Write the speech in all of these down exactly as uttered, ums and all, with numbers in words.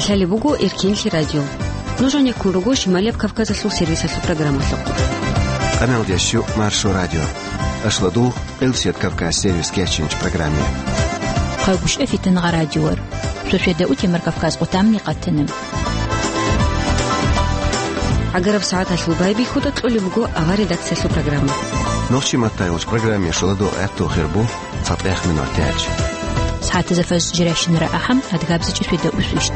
Лъалеб буго Эркенлъи радио. Нуж гӀенеккун руго Шималияб Кавказалъул сервисалъул программалъухъ. Къамелдящу Маршо радио. Ашладул, Къилсият Кавказ сервис кечинч программе. Хъагушев Фитангъа радиор. Сосиеда утемар Кавказ къутамни къатана. ГӀагараб сагӀаталъул байбихьуда кьолеб буго авар редакциялъул программа. Нохчи маттайгъуч программе шуладо гӀатту хирбу. ЦатӀех минут тяч. СагӀатазда фаз жиращинара ахӀам, адгабзачӀи светда усвищт.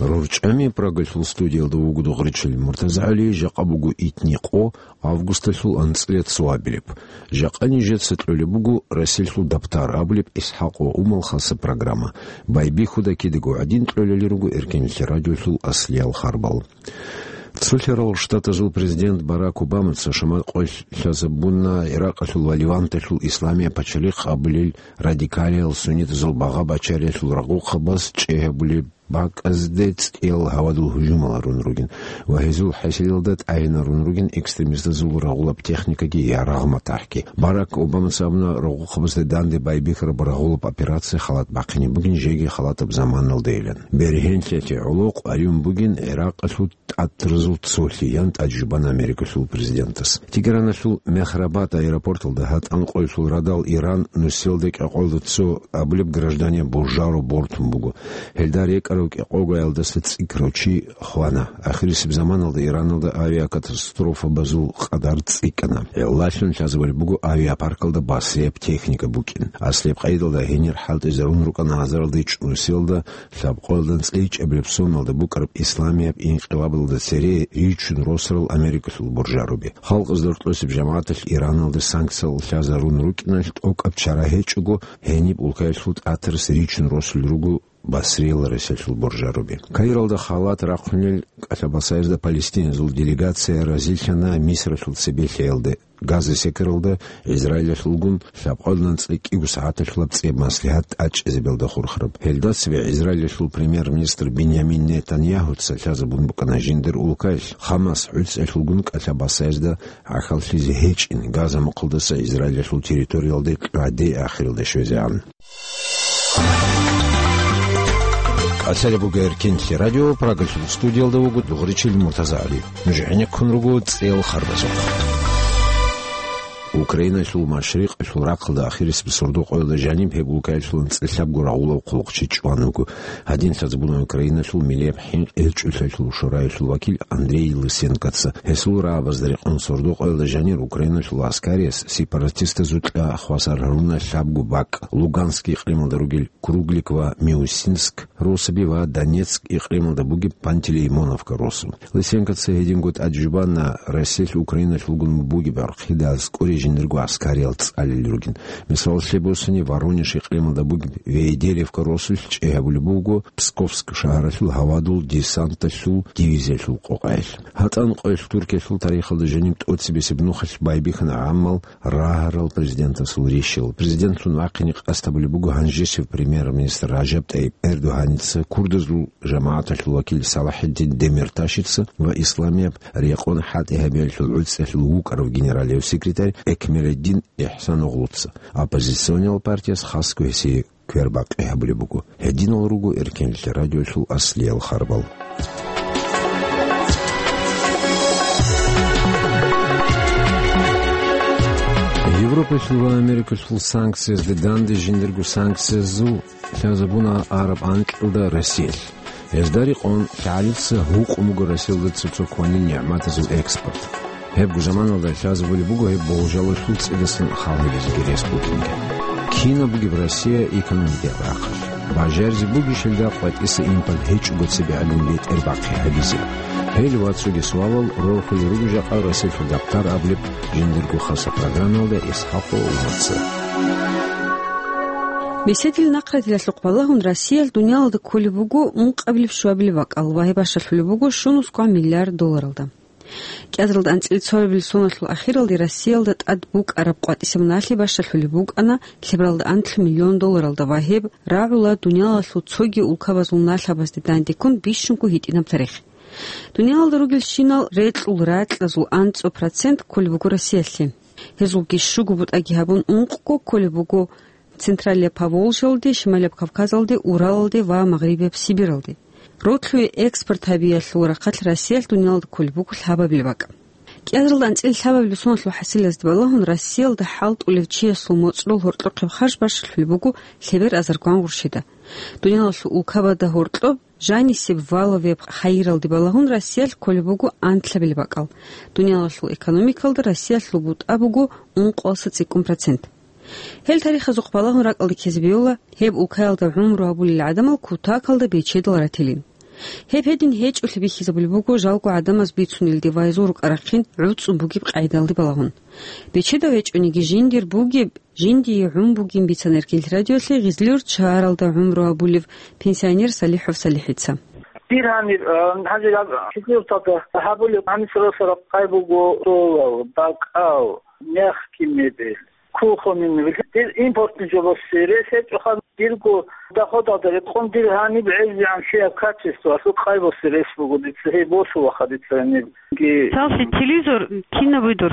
РорчӀами Прагалъул студиялда вуго Дугъричил МуртазагӀали, жакъа буго итни къо, августалъул анцӀила цо абилеб. Жакъа нижеца кьолеб буго Расилъул дабтар абулеб ИсхӀакъ ва Умал хаса программа. Байбихьуда кидаго гӀадин кьолели руго Эркенлъи радиолъул аслиял харбал. Цолъарал Штатазул президент Барак Обамаца шамал къоялъ лъазабуна Иракъалъул ва Леванталъул исламияб пачалихъ абулел радикалиял суннитазул багъа бачариялъул рагъухъабаз чӀей гьабулеб бакӀазде цӀиял гьавадул гьужумал гьарун ругин ва гьезул хӀасилалда тӀагӀинарун ругин экстремистазул рагъулаб техникаги я рагъ-матахӀги. Барак Обамаца абуна рагъухъабазда данде байбихьараб рагъулаб операция халат бахъине бугин жеги халатаб заманалдайилан. Бергьенлъи гӀолохъ гӀайун бугин Иракъалъул тӀатразул цолъи, ян тӀаде жубана Америкалъул президентас. Тегераналъул Мехрабад аэропорталда гьатӀан къоялъул радал Иран нусиялда кӀикъоялда цо абулеб гражданияб боржаро бортун буго. Гьелда рекӀарав кӀикъоялдаса цӀикӀкӀарав чи хвана. Ахирисеб заманалда Ираналда авиакатастрофабазул къадар цӀикӀкӀана. Гьелдалъун лъазабулеб буго авиапаркалда басрияб техника букӀин. Аслияб къайдалда гьенир хӀалтӀизарун рукӀана азаралда ичӀнусиялда лъабкъоялда анцӀила ичӀабилеб соналда букӀараб исламияб инкъилабалда цере ричун росарал Америкалъул буржаруби. Халкъазда рокьосеб жамагӀаталъ Ираналда санкциял лъазарун рукӀиналъ тӀокӀаб чара гьечӀого, гьениб улкаялъул тӀатарас ричун росулел руго Басриял Россиялъул буржаруби. Каиралда халат рахъунел кӀалъабасаязда палестиназул делегация разилъана Мисралъул цебе лъеялде. Газа секаралда Израилалъулгун лъабкъоялда анцӀила кӀиго сагӀаталъулаб цӀияб маслигьат тӀачӀизабиялда хурхараб. Гьелда цебе Израилалъул премьер-министр Биньямин Нетаньяхуца лъазабун букӀана жиндир улкаялъ Хамас гӀуцӀиялъулгун кӀалъабасаязда гӀахьаллъизе гьечӀин, Газа мухъалдаса Израилалъул территориялде кьваде ахиралде щвезегӀан. КӀалъалеб буго Эркенлъи радио, Прагалъул студиялда вуго Дугъричил МуртазагӀали. Нуж гӀенеккун руго цӀел харбазухъ. Украиналъул машрикъалъул рахъалда ахирисеб сордо-къоялда жаниб гьеб улкаялъул анцӀила лъабго рагъулав хъулухъчи чӀван вуго. Гьадин лъазабуна Украиналъул миллияб хӀинкъи гьечӀолъиялъул шораялъул вакил Андрей Лысенкоца. Гьесул рагӀабазда рекъон сордо-къоялда жанир Украиналъул гӀаскариялъ сепаратистазул кьа хвасар гьаруна лъабго бакӀ, Луганск икълималда ругел Круглик ва Миусинск росаби ва Донецк икълималда бугеб Пантелеймоновка росу. Лысенкоца гьединго тӀаде жубана Россиялъ Украиналъулгун бугеб гӀурхъида аскӀоре жиндирго гӀаскариял цӀалел ругин. Мисалалъе босани, Воронеж икълималда бугеб Вейделевка росулъ чӀей гьабулеб буго Псковск шагьаралъул гьавадул десанталъул дивизиялъул къокъаялъ. ГьатӀан къоялъ Туркиялъул тарихалда жаниб тӀоцебесеб нухалъ байбихьана гӀаммал рагьарал президентасул рищал. Президентлъун вахъине къасд гьабулеб буго гьанжесев премьер-министр Ражаб ТӀайиб Эрдогьаница, курдазул жамагӀаталъул вакил Салахиддин Демирташица ва исламияб рекъон хӀалтӀи гьабиялъул гӀуцӀиялъул вукӀарав генералияв секретарь Экмеледдин ИхӀсаноглуца. Оппозициониял партияс хасго гьесие квербакъи гьабулеб буго. Гьединал руго Эркенлъи радиолъул аслиял харбал. Европалъул ва Америкалъул санкциязда данде жиндирго санкциязул лъазабуна араб анкьалда Россиялъ. Гьезда рекъон лъагӀалица гьукъун буго Россиялда цо-цо кванил нигӀматазул экспорт. Гьебго заманалда лъазабулеб буго гьеб болжалалъул цӀидасан хал гьабизеги рес букӀинги. Кинаб бугеб Россия экономикаялъ рахъалъ? Бажаризе бугищ гьелда къватӀиса импорт гьечӀого цебе гӀадин бетӀер бахъи гьабизе? Гьел ва цоги суалал рорхулел руго жакъа Россиялъул дабтар абулеб жиндирго хаса программаялда ИсхӀакъ Умарца. Меседил нахъратилалъухъ балагьун Россиялъ дуниялалда кколеб буго ункъабилеб-щуабилеб бакӀал ва гьеб бащалъулеб буго щуниги кӀвар миллиард долларалда. КӀиазаралда анцӀила цоабилеб соналъул ахиралде Россиялда тӀад букӀараб къватӀисеб налъи бащалъулеб букӀана лъебералда анлъго миллион долларалда ва гьеб рагӀула дуниялалъул цоги улкабазул налъабазде дандеккун бищунго гьитӀинаб тарих. Дуниялалда ругелщинал рекьул ракьазул анцӀго процент кколеб буго Россиялъе. Гьезулги щуго бутӀаги гьабун ункъго кколеб буго Централияб Поволжьалде, Шималияб Кавказалде, Уралалде ва Магърибияб Сибиралде. Ротлъуе экспорт гьабиялъул рахъалъ Россиялъ дуниялалда кколеб буго лъабабилеб бакӀ. КӀиазаралда анцӀила лъабабилеб соналъул хӀасилазде балагьун, Россиялда хӀалтӀулев чиясул моцӀрол гьоркьохъеб харж бащулъулеб буго лъебер азарго гъурщида. Дуниялалъул улкабазда гьоркьоб жанисеб валовеб хайиралде балагьун Россиялъ кколеб буго анлъабилеб бакӀал. Дуниялалъул экономикалда Россиялъул бутӀа буго ункъоялдаса цӀикӀкӀун процент. Гьел тарихазухъ балагьун ракӀалде ккезе бегьула, гьеб улкаялда гӀумру гьабулел гӀадамал кутакалда бечедал ратилин. Гьеб гьедин гьечӀолъи бихьизабулеб буго жалго гӀадамаз бицунелде ва гьезул рукӀа-рахъин гӀуцӀун бугеб къайдалде балагьун. Бечедав гьечӀониги жиндир бугеб, жиндие гӀун бугин бицана Эркин радиолъе Гъизлиюрт шагьаралда гӀумру гьабулев пенсионер Салихов Салихица. Дир гьаниб, а, гьаниб гьаб-, четвёрталда гьабулеб гьаниб соросараб къай буго: столал, бакӀал, мягкий мебель, кухонный мебель. Дир импортный жо босизе рес гьечӀоха, дирго доходалда рекъон дир гьаниб гӀезегӀан лъияб качествоялъул къай босизе рес буго дица, гьей босулаха дица гьанибги. Цалъи телевизор кинаб буго дур?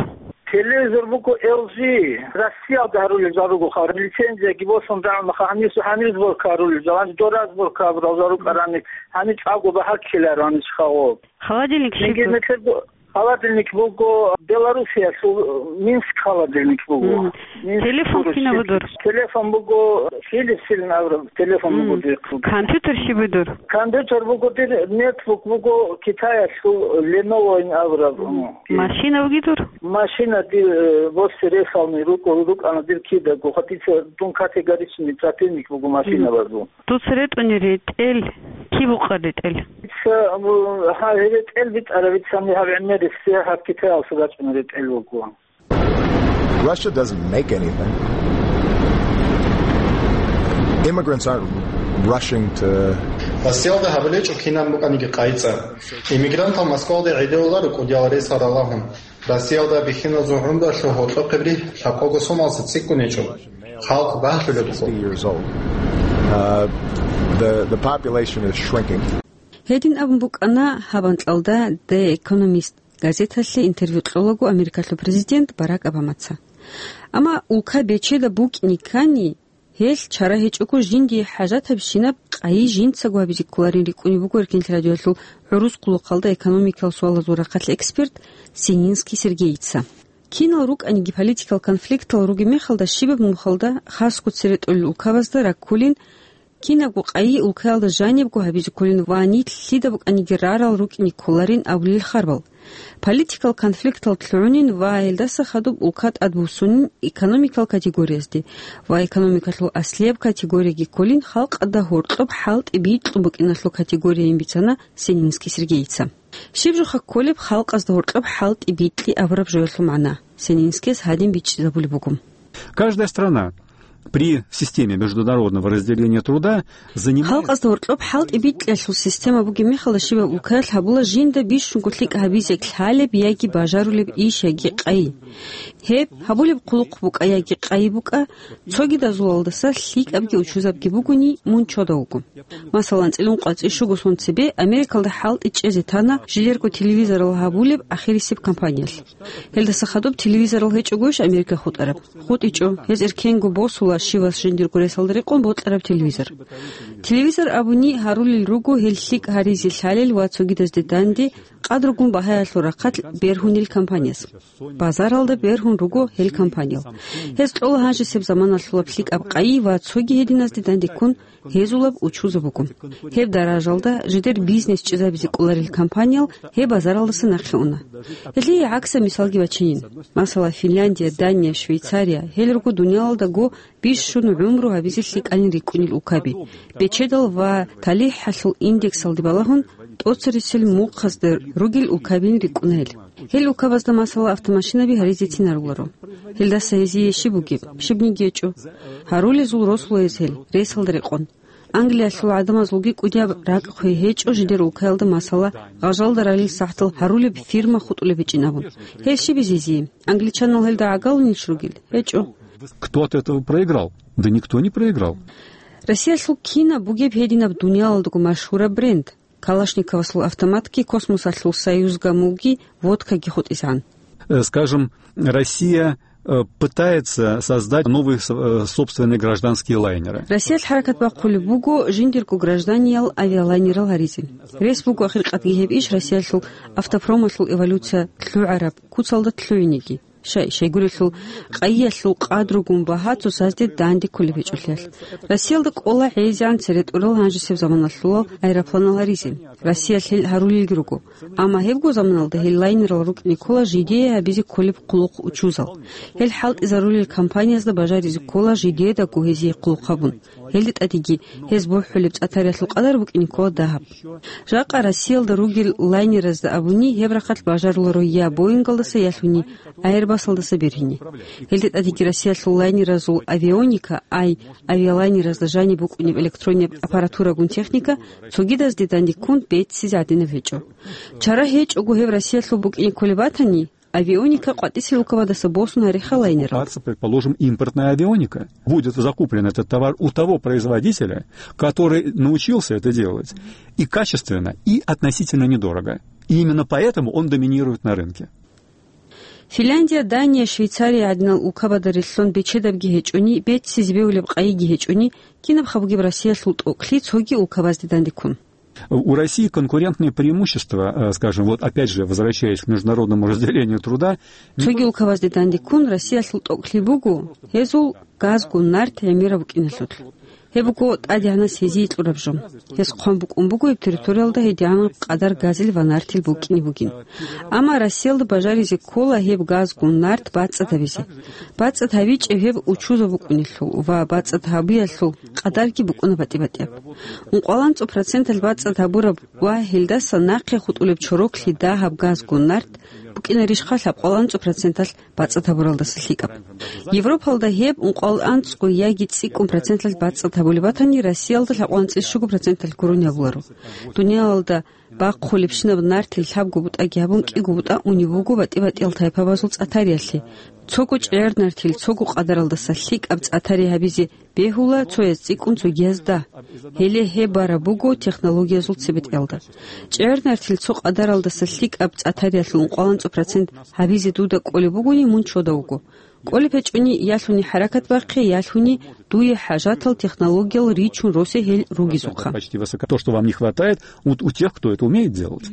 Телевизор буго L G, Россиялда гьарулел жал ругоха, лицензияги босун рагӀунаха, гьанив, гьанив сборка гьарулел жал, гьанив дора сборка гьабурал жал рукӀарани, гьанив чӀаго багьа ккеларо гьанив хаваб. Холодильник щиб буго? Холодильник буго Белоруссиялъул, Минск холодильник буго. Мгм. Минск. Телефон кинаб буго дур? Телефон буго Philips-ин абураб телефон буго дир. Компьютер щиб буго дур? Компьютер буго дир, нетбук буго Китаялъул Lenovo-ин абураб. Мгм. Машина буго дур? Машина дир, э, босизе ресални рукӀа-, рукӀана дир кидаго. Гьатица дун категоричный противник буго машинабазул. Дуца ретӀуни ретӀел, киб букъа ретӀел? Ца, гьа, ретӀел битӀараб, ца, гьаб гӀемерисеб гьаб Китаялъул рачӀуна ретӀел буго. Russia doesn't make anything. Immigrants aren't rushing to Россиялда гьабулечӀо кинаб букӀаниги къайцӀа. Иммигрантал Москвалде гӀедеуларо кӀудиял ресал ралагьун. Россиялда бихьиназул гӀумруялъул гьоркьохъеб рихӀ лъабкъого сомалдаса цӀикӀкӀун гьечӀо. Халкъ багьлъулеб буго. Sixty years old. Uh, the, the population is shrinking. Гьедин абун букӀана гьаб анкьалда The Economist газеталъе интервью кьолаго Америкалъул президент Барак Обамаца. Амма улка бечедаб букӀине ккани, гьелъ чара гьечӀого жиндие хӀажатабщинаб къайи жинцаго гьабизе кколарин рикӀкӀунеб буго Эркин радиоялъул гӀурус хъулухъалда экономикал суалазул рахъалъ эксперт Сининский Сергейица. Кинал рукӀаниги политикал конфликтал ругеб мехалда щибаб нухалда, хасго цере тӀолел улкабазда раккулин, кинабго къайи улкаялда жанибго гьабизе кколин ва нилъ лъида букӀаниги рарал рукӀине кколарин абулел харбал. Политикал конфликтал лъугӀунин ва гьелдаса хадуб улка тӀадбуссунин экономикал категориязде ва экономикалъул аслияб категорияги кколин халкъалда гьоркьоб хӀалтӀи бикьун букӀиналъул категорияйин бицана Сининский Сергейица. Щиб жоха кколеб халкъазда гьоркьоб хӀалтӀи бикьи абураб жоялъул магӀна Сининскияс гьадин бичӀчӀизабулеб буго. Каждая страна при системе международного разделения труда занимает Халкъазда гьоркьоб хӀалтӀи бикьиялъул система бугеб мехалда щибаб улкаялъ гьабула жинда бищунго лъикӀ гьабизе лъалеб яги бажарулеб иш яги къайи. Гьеб гьабулеб хъулухъ букӀа яги къайи букӀа, цогидазулалдаса лъикӀабги учузабги бугони, мун чодав вуго. Масалан, цӀилун къвацӀи щуго сон цебе Америкалда хӀалтӀи чӀезе тана жидерго телевизорал гьабулеб ахирисеб компаниялъ. Гьелдаса хадуб телевизорал гьечӀогойищ Америка хутӀараб? ХутӀичӀо, гьез эркенго босула щивас жиндирго ресалда рекъон бокьараб телевизор. Телевизор абуни гьарулел руго гьел лъикӀ гьаризе лъалел ва цогидазде данде къадргун багьаялъул рахъалъ бергьунел компанияс. Базаралда бергьун руго гьел компаниял. Гьез кьола гьанжесеб заманалъулаб лъикӀаб къайи ва цоги гьединазде дандеккун гьезулаб учузаб буго. Гьеб даражалда жидер бизнес чӀезабизе кӀоларел компаниял гьеб базаралдаса нахъе уна. Гьелъие гӀаксаб мисалги бачинин. Масала, Финляндия, Дания, Швейцария, гьел руго дуниялалдаго бищун гӀумру гьабизе лъикӀанин рикӀкӀунел улкаби. Бечедал ва талихӀалъул индексалде балагьун, тӀоцерисел мухъазда ругел улкабин рикӀкӀуна гьел. Гьел улкабазда, масала, автомашинаби гьаризецин гьаруларо. Гьелдаса гьезие щиб бугеб? Щибниги гьечӀо. Гьарулезул росула гьез гьел, ресалда рекъон. Англиялъул гӀадамазулги кӀудияб ракӀ хвей гьечӀо жидер улкаялда, масала, гъажалда ралел сахӀтал гьарулеб фирма хутӀулеб гьечӀин абун. Гьел щиб гьезие? Англичанал гьелда гӀагалунищ ругел? ГьечӀо. Кто от этого проиграл? Да никто не проиграл. Россиялъул кинаб бугеб гьединаб дуниялалдаго машгьураб бренд? Калашниковасул автоматги, космосалъул Союз гамулги, водкаги хутӀизегӀан. Э, скажем, Россия э, пытается создать новые с-, э, собственные гражданские лайнеры. Россиялъ хӀаракат бахъулеб буго жиндирго гражданиял авиалайнерал гьаризе. Рес буго ахиркъадги гьеб иш Россиялъул автопромалъул эволюция лъугӀараб куцалда лъугӀинеги. Шай, щайгурелъул къайиялъул къадругун багьа цоцазде данде кколеб гьечӀолъиялъ. Россиялда кӀола гӀезегӀан цере тӀурал гьанжесеб заманалъулал аэропланал гьаризе. Россиялъ гьел гьарулелги руго. Амма гьебго заманалда гьел лайнерал рукӀине ккола жидее гьабизе кколеб хъулухъ учузал. Гьел хӀалтӀизарулел компаниязда бажаризе ккола жидедаго гьезие хъулухъ гьабун. Гьелде тӀадеги гьез бухӀулеб цӀатариялъул къадар букӀине ккола дагьаб. Жакъа Россиялда ругел лайнеразда абуни, гьеб рахъалъ бажаруларо я Боингалдаса, ялъуни Аэрбасалдаса бергьине. Гьелде тӀадеги Россиялъул лайнеразул авионика, ай, авиалайнеразда жаниб букӀунеб электроннияб аппаратурагун техника цогидазде данде ккун беццизе гӀадинаб гьечӀо. Чара гьечӀого гьеб Россиялъул букӀине кколеб батани, авионика къватӀисел улкабадаса босун гьареха лайнерал. Предположим, импортная авионика. Будет закуплен этот товар у того производителя, который научился это делать и качественно, и относительно недорого. И именно поэтому он доминирует на рынке. Финляндия, Дания, Швейцария гӀадинал улкабада релълъун бечедабги гьечӀони, беццизе бегьулеб къайиги гьечӀони, кинаб хабугеб Россиялъул тӀокӀлъи цоги улкабазде данде ккун. У России конкурентные преимущества, э, скажем, вот опять же, возвращаясь к международному разделению труда. Цоги улкабазде данде ккун Россиялъул тӀокӀлъи буго гьезул газгун нарт гӀемераб букӀиналъулъ. Гьеб буго тӀадегӀанас гьезие кьураб жо. Гьез хъван букӀун буго гьеб территориялда гьедигӀанаб къадар газил ва нартил букӀине бугин. Амма Россиялда бажаризе ккола гьеб газгун нарт бацӀцӀад гьабизе. БацӀцӀад гьабичӀеб гьеб учузаб букӀунелъул ва бацӀцӀад гьабиялъул къадарги букӀуна батӀи-батӀияб. Ункъоялда анцӀго проценталъ бацӀцӀад гьабураб ва гьелдаса нахъе хутӀулеб чороклъи дагьаб газгун нарт букӀинарищха лъабкъоялда анцӀго проценталъ бацӀцӀад гьабуралдаса лъикӀаб. Европалда гьеб ункъоялда анцӀго яги цӀикӀкӀун проценталъ бацӀцӀад гьабулеб батани, Россиялда лъабкъоялда анцӀила щуго проценталъ гурони гьабуларо. Дуниялалда бахъулебщинаб нартил лъабго бутӀаги гьабун кӀиго бутӀа унеб буго батӀи-батӀиял тайпабазул цӀатариялъе. Цого чӀегӀер нартил цого къадаралдаса лъикӀаб цӀатари гьабизе бегьула цояз цӀикӀкӀун цогияз дагь. Гьеле гьеб бараб буго технологиязул цебетӀелда. ЧӀегӀер нартил цо къадаралдаса лъикӀаб цӀатариялъул ункъоялда анцӀго процент гьабизе дуда кӀолеб бугони, мун чодав вуго. КӀолеб гьечӀони, ялъуни хӀаракат бахъе, ялъуни дуе хӀажатал технологиял ричун росе гьел ругезухъа. Почти высоко. То, что вам не хватает, у, у тех, кто это умеет делать.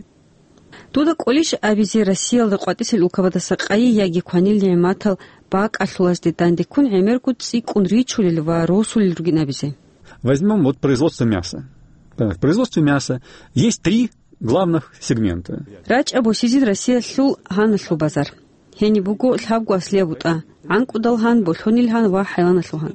Дуда кӀолищ абизе Россиялда къватӀисел улкабадаса къайи яги кванил нигӀматал бакӀалъулазде дандеккун гӀемерго цӀикӀкӀун ричулел ва росулел ругин абизе? Возьмём вот производство мяса. Так, в производстве мяса есть три главных сегмента. РачӀа босизин Россиялъул гьаналъул базар. Гьениб буго лъабго аслияб бутӀа, гӀанкӀудал гьан, болъонил гьан ва хӀайваналъул гьан.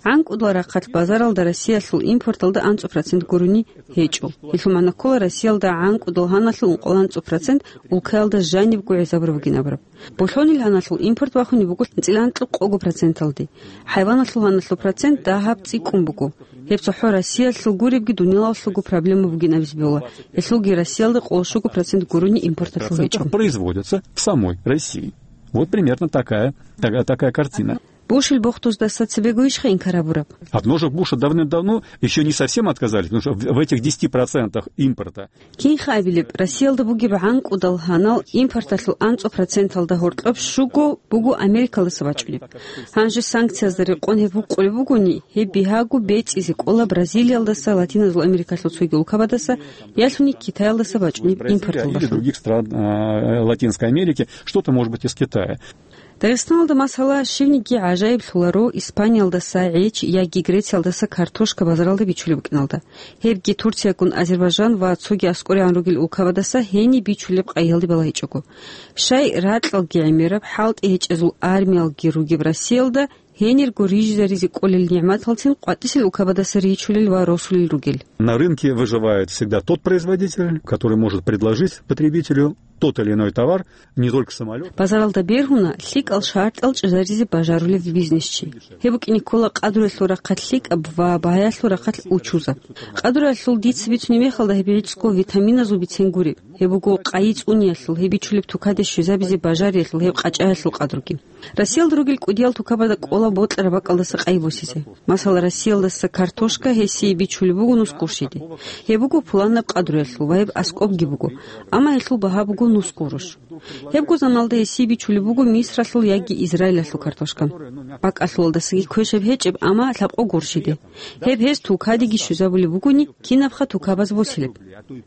ГӀанкӀудал рахъалъ базаралда Россиялъул импорталда анцӀго процент гурони гьечӀо. Гьелъул магӀна ккола, Россиялда гӀанкӀудал гьаналъул ункъоялда анцӀго процент улкаялда жанибго гӀезабураб бугин абураб. Болъонил гьаналъул импорт бахунеб буго анцӀила анкьго проценталде. ХӀайваналъул гьаналъул процент дагьаб цӀикӀкӀун буго. Гьеб цохӀо Россиялъул гуребги дуниялалъулго проблема бугин абизе бегьула. Гьелъулги Россиялда къоло щуго процент гурони импорталъул гьечӀо. Производится в самой России. Вот примерно такая, такая, такая картина. Бушил бохтуздаса цебего ишха инкар гьабураб? От ножек Буша давным-давно ещё не совсем отказались, потому что в, в этих десяти процентах импорта. Кинха абилеб, Россиялда бугеб гӀанкӀудал гьанал импорталъул анцӀго проценталда гьоркьоб щуго буго Америкалдаса бачӀунеб. Гьанже санкциязда рекъон гьеб гьукъулеб бугони, гьеб бигьаго бецӀизе кӀола Бразилиялдаса, Латиназул Америкалъул цоги улкабадаса, ялъуни Китаялдаса бачӀунеб импортал бахъун. Или других стран, а, Латинской Америки, что-то, может быть, из Китая. Дагъистаналда, масала, щивниги гӀажаиблъуларо Испаниялдаса гӀеч яги Грециялдаса картошка базаралда бичулеб букӀиналда. Гьебги Турциягун Азербайжан ва цоги аскӀорегӀан ругел улкабадаса гьениб бичулеб къайиялде балагьичӀого. Щай, ракьалги гӀемераб, хӀалтӀи гьечӀезул армиялги ругеб Россиялда гьенирго рижизаризе кӀолел нигӀматалцин къватӀисел улкабадаса ричулел ва росулел ругел. На рынке выживает всегда тот производитель, который может предложить потребителю тот или иной товар, не только самолёт. Базаралда бергьуна лъикӀал шартӀал чӀезаризе бажарулев бизнесчи. Гьеб букӀине ккола къадруялъул рахъалъ лъикӀаб ва багьаялъул рахъалъ учузаб. Къадруялъул дица бицунеб мехалда гьеб гӀицӀго витаминазул бицен гуреб. Гьеб буго къайи цӀуниялъул, гьеб бичулеб тукаде щвезабизе бажариялъул, гьеб къачӀаялъул къадруги. Россиялда ругел кӀудиял тукабада кӀола бокьараб бакӀалдаса къайи босизе. Масала, Россиялдаса картошка гьесие бичулеб буго нусгурщиде. Гьеб буго пуланаб къадруялъул ва гьеб аскӀобги буго. Амма гьелъул багьа буго нус гурош. Гьебго заманалда гьесие бичулеб буго Мисралъул яги Израилалъул картошка. БакӀалъулалдасаги квешаб гьечӀеб, амма лъабкъо гурщиде. Гьеб гьез тукадеги щвезабулеб бугони, кинабха тукабаз босилеб.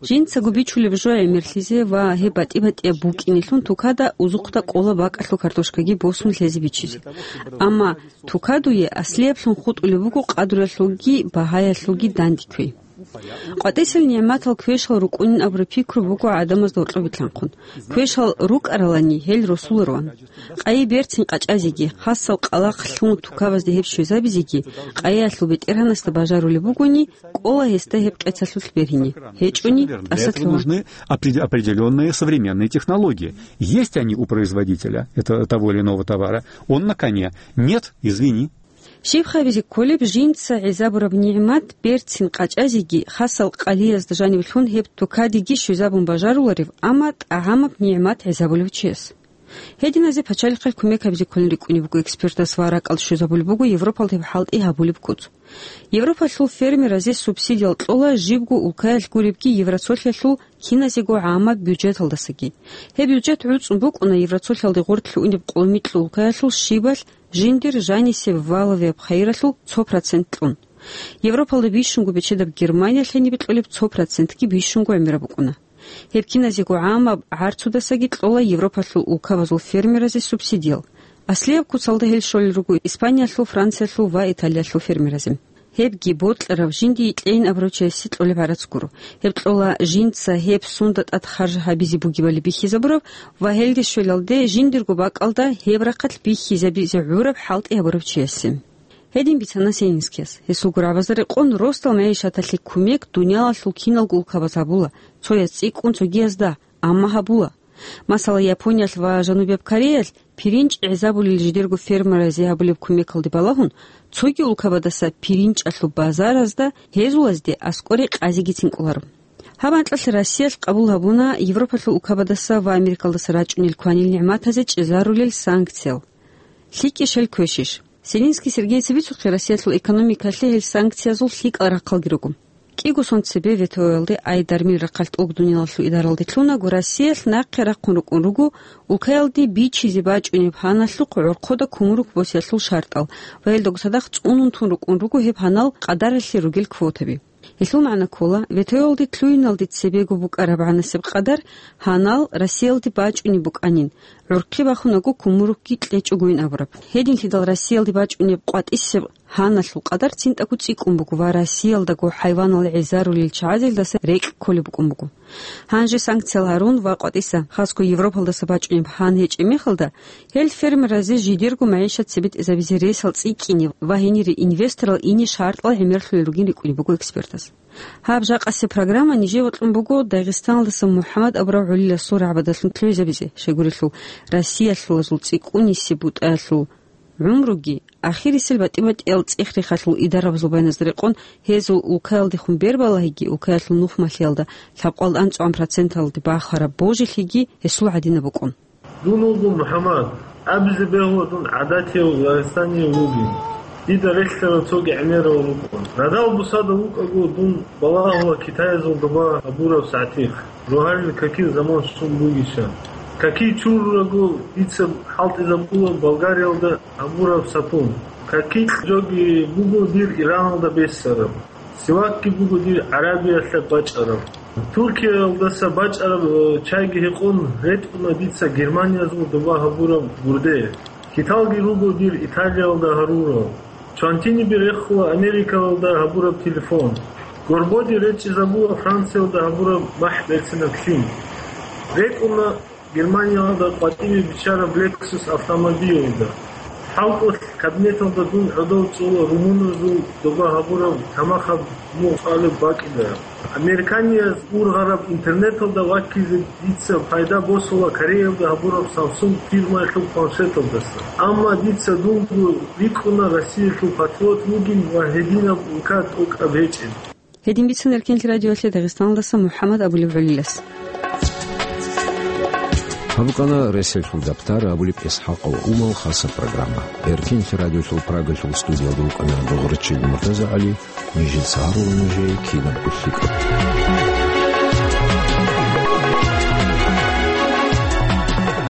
Жинцаго бичулеб жо гӀемерлъизе ва гьеб батӀи-батӀияб букӀинелъун тукада узухъда кӀола бакӀалъул картошкаги босун лъезе бичизе. Амма тукадуе аслияблъун хутӀулеб буго къадралъулги багьаялъулги данде кквей. КъватӀисел нигӀматал квешал рукӀунин абураб пикру буго гӀадамазда гьоркьобилъанхъун. Квешал рукӀаралани, гьел росулароан. Къайи берцин къачӀазеги, хасал къалахълъун тукабазде гьеб щвезабизеги, къайиялъул бетӀергьанасда бажарулеб бугони, кӀола гьесда гьеб къецалъулъ бергьине. ГьечӀони, Для этого тӀаса лъугьа. Нужны опре-, определённые современные технологии. Есть они у производителя это, того или иного товара. Он на коне. Нет, извини. Щиб хабизе кколеб, жинца гӀезабураб нигӀмат берцин къачӀазеги, хасал къайиязда жаниб лъун гьеб тукадеги щвезабун бажаруларев, амма тӀагӀамаб нигӀмат гӀезабулев чияс? Гьединазе пачалихъе кумек гьабизе кколин рикӀкӀунеб буго экспертас ва ракӀалде щвезабулеб буго Европалда гьеб хӀалтӀи гьабулеб куц. Европалъул фермеразе субсидиял кьола жибго улкаялъ гуребги Евроцолъиялъул киназего гӀамаб бюджеталдасаги. Гьеб бюджет гӀуцӀун букӀуна Евроцолъиялде гъорлъ унеб къоло микьул улкаялъул щибалъ жиндир жанисеб валовияб хайиралъул цо процент кьун. Европалда бищунго бечедаб Германиялъ гьенибе кьолеб цо процентги бищунго гӀемераб букӀуна. Гьеб киназего гӀамаб гӀарцудасаги кьола Европалъул улкабазул фермеразе субсидиял. Аслияб куцалда гьел щолел руго Испаниялъул, Франциялъул ва Италиялъул фермеразе. Гьебги бокьараб жиндие кьейин абурав чиясе кьолеб гӀарац гуро. Гьеб кьола жинца гьеб сунда тӀад харж гьабизе бугебали бихьизабураб ва гьелде щвелалде жиндирго бакӀалда гьеб рахъалъ бихьизабизе гӀураб хӀалтӀи гьабурав чиясе. Гьедин бицана Сенинскияс. Гьесул гурабазда рекъон, росдал мегӀишаталъе кумек дуниялалъул киналго улкабаз гьабула, цояз цӀикӀкӀун цогиязда, амма гьабула. Масала, Япониялъ ва Жанубияб Кореялъ пиринч гӀезабулел жидерго фермеразе гьабулеб кумекалде балагьун, цоги улкабадаса пиринчалъул базаразда гьезулазде аскӀоре къазигицин кӀоларо. Гьаб анкьалъ Россиялъ къабул гьабуна Европалъул улкабадаса ва Америкалдаса рачӀунел кванил нигӀматазе чӀезарулел санкциял. ЛъикӀищ гьел квешищ? Селинский Сергейица бицухъе, Россиялъул экономикалъе гьел санкциязул лъикӀал рахъалги руго. КӀиго сон цебе ВТО-ялде, ай дармил рахъалъ тӀолго дуниялалъул идаралде лъунаго, Россиялъ нахъе рахъун рукӀун руго улкаялде бичизе бачӀунеб гьаналъухъ гӀорхъода кумрукк босиялъул шартӀал ва гьелдаго цадахъ цӀунун тун рукӀун руго гьеб гьанал къадаралъе ругел квотаби. Гьелъул магӀна ккола, ВТО-ялде лъугьиналде цебего букӀараб гӀанасеб къадар гьанал Россиялде бачӀунеб букӀанин, гӀурхъи бахунаго кумруккги кьечӀогойин абураб. Гьединлъидал Россиялде бачӀунеб къватӀисеб гьаналъул къадар цинтӀаго цӀикӀкӀун буго ва Россиялдаго хӀайванал гӀезарулел чагӀазелдаса рекь кколеб букӀун буго. Гьанже санкциял гьарун ва къватӀиса, хасго Европалдаса бачӀунеб гьан гьечӀеб мехалда, гьел фермеразе жидерго магӀишат цебетӀезабизе ресал цӀикӀкӀине ва гьенире инвесторал ине шартӀал гӀемерлъулел ругин рикӀкӀунеб буго экспертаз. Гьаб жакъасеб программа нижее бокьун буго Дагъистаналдаса МухӀаммад абурав гӀолиласул рагӀбадалъун лъугӀизабизе, щайгурелъул Россиялъулазул цӀикӀкӀунисеб бутӀаялъул гӀумруги, ахирисел батӀи-батӀиял цӀех-рехалъул идарабазул байназда рекъон гьезул улкаялдехун бербалагьиги, улкаялъул нухмалъиялда лъабкъоялда анцӀгӀан проценталде бахараб божилъиги гьесул гӀадинаб букӀун. Дун вуго МухӀаммад, абизе бегьула дун гӀадатияв дагъистанияв вугин. Дида релълъарал цоги гӀемерал рукӀун. Радал бусада вукӀаго дун балагьула Китаязул доба гьабураб сагӀтихъ, жугьарил какил заман щун бугищан. Какий чурураго дица хӀалтӀизабула Болгариялда гьабураб сапун. Какикь жоги буго дир Ираналда бессараб. Сивакги буго дир ГӀарабиялъа бачӀараб. Туркиялдаса бачӀараб, э, чайги гьекъон ретӀуна дица Германиязул доба гьабураб гурде. Киталги руго дир Италиялда гьарурал. Чвантиниби рехула Америкалда гьабураб телефон. Горбоди речӀчӀизабула Франциялда гьабураб махӀ берцинаб лъим. РекӀуна Германиялда къватӀибе биччараб Lexus автомобилалда. ХӀалтӀулъ кабинеталда дун гӀодов цӀула румуназул доба гьабураб тамахаб мугъ цӀалеб бакӀида. Американияз ургъараб интернеталда ваккизе дица пайда босула Кореялда гьабураб Samsung фирмаялъул планшеталдаса. Амма дица дунго рикӀкӀуна Россиялъул патриот вугин ва гьединаб улка тӀокӀаб гьечӀин. Гьедин бицун Эркенлъи радиоялъе Дагъистаналдаса МухӀаммад абулев гӀолилас. Гьаб букӀана Ресалъул Дабтар абулеб ИсхӀакъов Умал хаса программа. Эркенлъи радиолъул Прагалъул студиялда вукӀана Догърачил МуртазагӀали, нижеца гьарула нужее кинабго лъикӀаб.